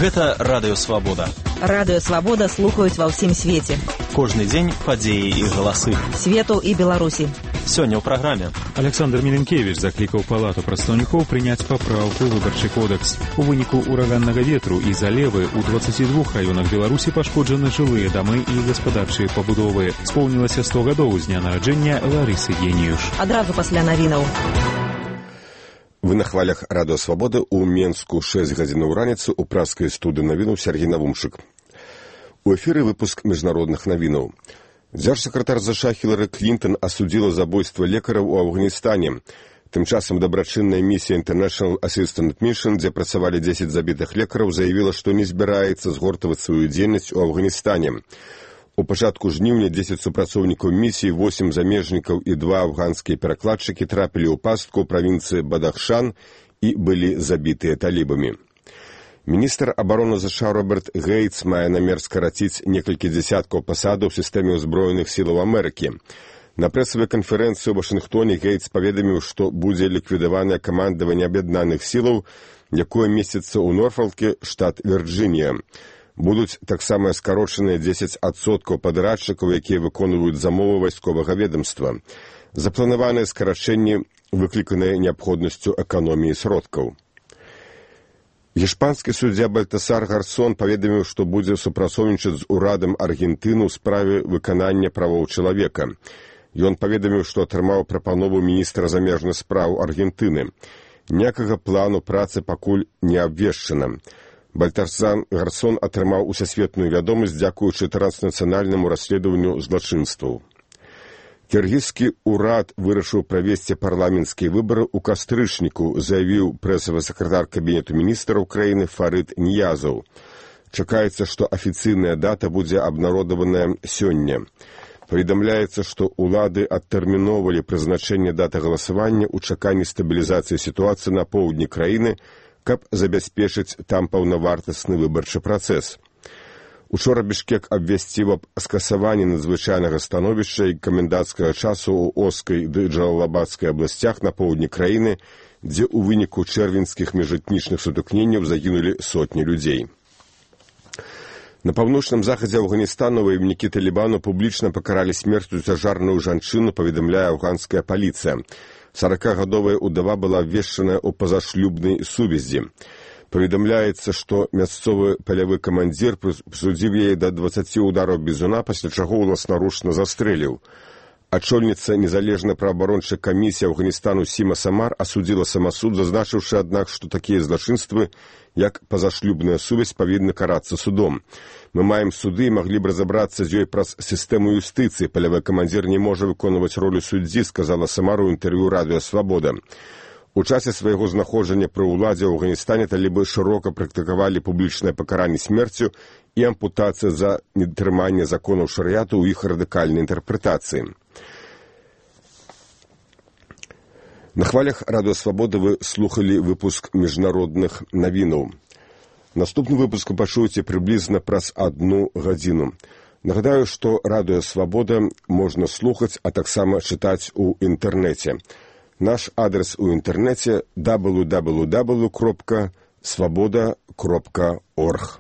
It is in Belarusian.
Гэта Радыё Свабода. Радыё Свабода слухаюць ва ўсім свеце. Кожны дзень падзеі і галасы. Свету і Беларусі. Сёння ў праграме. Александр Міленкевіч заклікаў палату прадстаўнікоў прыняць папраўку ў выбарчы кодекс. У выніку ураганнага ветру і залевы ў 22 раёнах Беларусі пашкоджаны жылыя дамы і гаспадарчыя пабудовы. Споўнілася 100 гадоў з дня нараджэння Ларысы Геніюш. Адразу пасля навінаў. Вы на хвалях Радыё Свабоды ў Менску 6 гадзінаў раніцы ў праскай студыі навінаў Сергей Навумчык. У эфіры выпуск міжнародных навінаў. Дзяржсакратар США Хілары Клінтон асудзіла забойства лекараў у Афганістане. Тым часам дабрачынная місія International Assistance Mission, дзе працавалі 10 забітых лекараў, заявіла, што не збіраецца згортаваць сваю дзейнасць у Афганістане. У пачатку жніўня 10 супрацоўнікаў місіі, 8 замежнікаў і 2 афганскія перакладчыкі трапілі ў пастку ў правінцыі Бадахшан і былі забітыя талібамі. Міністр абароны США Роберт Гейтс мае намер скараціць некалькі дзесяткаў пасадаў у сістэме ўзброеных сілаў Амерыкі. На прэсавай канферэнцыі ў Вашынгтоне Гейтс паведаміў, што будзе ліквідаванае камандаванне аб'яднаных сілаў, якое месціцца ў Норфалке, штат Вірджынія. Будуць таксама скарочаныя 10% падрадчыкаў, якія выконваюць замовы вайсковага ведамства. Запланаваныя скарачэнні выкліканыя неабходнасцю эканоміі сродкаў. Гішпанскі суддзя Бальтасар Гарсон паведаміў, што будзе супрацоўнічаць з урадам Аргентыны ў справе выканання правоў чалавека. Ён паведаміў, што атрымаў прапанову міністра замежных спраў Аргентыны. Ніякага плану працы пакуль не абвешчана. Бальтасар Гарсон атрымаў усесветную вядомасць дзякуючы транснацыянальнаму расследаванню злачынстваў. Кіргізскі ўрад вырашыў правесці парламенцкія выбары ў кастрычніку, заявіў прэсавы сакратар кабінету міністраў краіны Фарыд Ніязаў. Чакаецца, што афіцыйная дата будзе абнародаваная сёння. Паведамляецца, што ўлады адтэрміноўвалі прызначэнне даты галасавання ў чаканні стабілізацыі сітуацыі на поўдні краіны, каб забяспечыць там паўнавартасны выбарчы працэс. Учора Бішкек абвясціў аб скасаванні надзвычайнага становішча і каменданцкага часу ў Оскай ды Джалалабадскай абласцях на поўдні краіны, дзе ў выніку чэрвеньскіх міжэтнічных сутыкненняў загінулі сотні людзей. На паўночным захадзе Афганістану ваеннікі Талібану публічна пакаралі смерцю цяжарную жанчыну, паведамляе афганская паліцыя. 40-гадовая ўдава была абвешчаная ў пазашлюбнай сувязі. Паведамляецца, што мясцовы палявы камандзір прысудзіў яе да 20 удараў бізуна, пасля чаго ўласнаручна застрэліў. Ачольніца незалежнай праабарончай камісіі Афганістану Сіма Самар асудзіла самасуд, зазначыўшы, аднак, што такія злачынствы, як пазашлюбная сувязь, павінны карацца судом. Мы маем суды і маглі б разабрацца з ёй праз сістэму юстыцыі. Палявы камандзір не можа выконваць ролю суддзі, сказала Самар у інтэрв'ю Радыё Свабода. У часе свайго знаходжання пры ўладзе ў Афганістане талібы шырока практыкавалі публічнае пакаранне смерцю і ампутацыя за недатрыманне законаў шарыяту ў іх радыкальнай інтэрпрэтацыі. На хвалях Радыё Свабоды вы слухалі выпуск міжнародных навінаў. Наступны выпуск пачуеце прыблізна праз 1 гадзіну. Нагадаю, што Радыё Свабода можна слухаць, а таксама чытаць у інтэрнэце. Наш адрес у інтэрнэце www.svoboda.org.